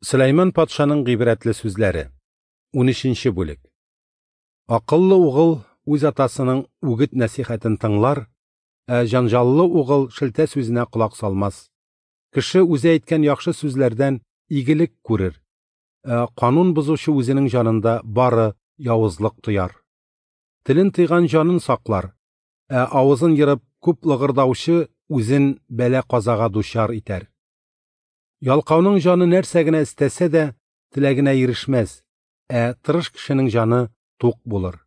Сөләйман патшаның гыйбрәтле сүзләре. 13 бүлек. Акыллы угыл үз атасының үгет-нәсихәтен тыңлар, ә җанҗаллы угыл шелтә сүзенә колак салмас. Кеше үзе әйткән яхшы сүзләрдән игелек күрер, ә канун бозучы үзенең җанында бары явызлык тояр. Телен тыйган җанын саклар, ә авызын ерып күп лыгырдаучы үзен бәла-казага дучар итәр. Ялкауның җаны нәрсә генә эстәсә дә, теләгенә ирешмәс, ә тырыш кешенең җаны тук булыр.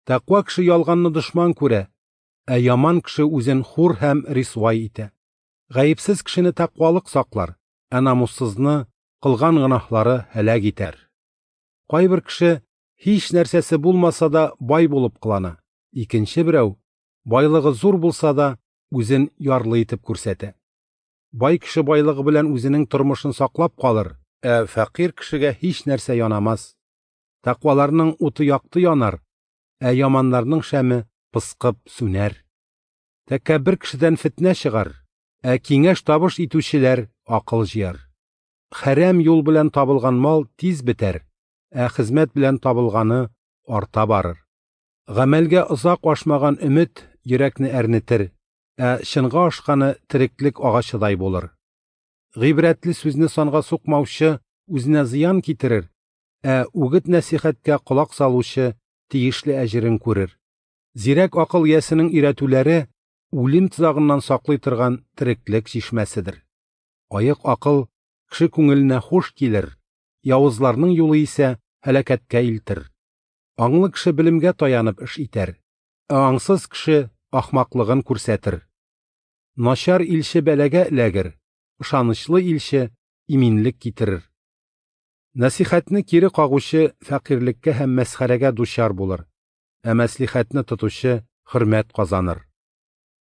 Тәкъва кеше ялганны дошман күрә, ә яман кеше үзен хур һәм рисвай итә. Гаепсез кешене тәкъвалык саклар, ә намуссызны кылган гөнаһлары һәлак итәр. Кайбер кеше һич нәрсәсе булмаса да бай булып кылана, икенче берәү, байлыгы зур булса да, үзен ярлы итеп күрсәтә. Бай кеше байлыгы белән үзенең тормышын саклап калыр, ә фәкыйрь кешегә һич нәрсә янамас. Тәкъваларның уты якты янар, ә яманнарның шәме пыскып сүнәр. Тәкәббер кешедән фетнә чыгар, ә киңәш табыш итүчеләр акыл җыяр. Хәрәм юл белән табылган мал тиз бетәр, ә хезмәт белән табылганы арта барыр. Гамәлгә озак ашмаган өмет йөрәкне әрнетер, ә чынга ашканы тереклек агачыдай булыр. Гыйбрәтле сүзне санга сукмаучы үзенә зыян китерер, ә үгет-нәсихәткә колак салучы тиешле әҗерен күрер. Зирәк акыл иясенең өйрәтүләре үлем тозагыннан саклый торган тереклек чишмәседер. Аек акыл кеше күңеленә хуш килер, явызларның юлы исә һәлакәткә илтер. Аңлы кеше белемгә таянып эш итәр, ә аңсыз кеше ахмаклыгын күрсәтер. Начар илче бәлагә эләгер, ышанычлы илче иминлек китерер. Нәсихәтне кире кагучы фәкыйрьлеккә һәм мәсхәрәгә дучар булыр, ә мәслихәтне тотучы хөрмәт казаныр.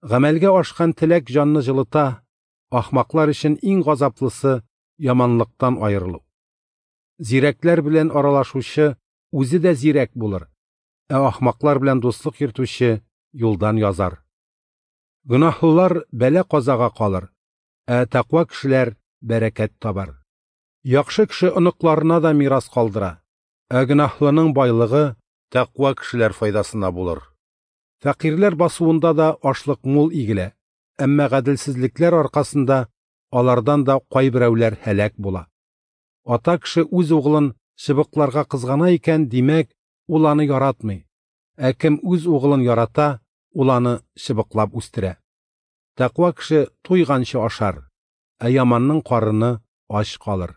Гамәлгә ашкан теләк җанны җылыта, ахмаклар өчен иң газаплысы яманлыктан аерылу. Зирәкләр белән аралашучы үзе дә зирәк булыр, ә ахмаклар белән дуслык йөртүче юлдан язар. Гөнаһлылар бәла-казага калыр, ә тәкъва кешеләр бәрәкәт табар. Яхшы кеше оныкларына да мирас калдыра, ә гөнаһлының байлыгы тәкъва кешеләр файдасына булыр. Фәкыйрьләр басуында да ашлык мул игелә, әмма гаделсезлекләр аркасында алардан да кайберәүләр һәлак була. Ата кеше үз углын чыбыкларга кызгана икән, димәк, ул аны яратмый. Ә кем үз углын ярата, ул аны чыбыклап үстерә. Тәкъва кеше туйганчы ашар, ә яманның карыны ач калыр.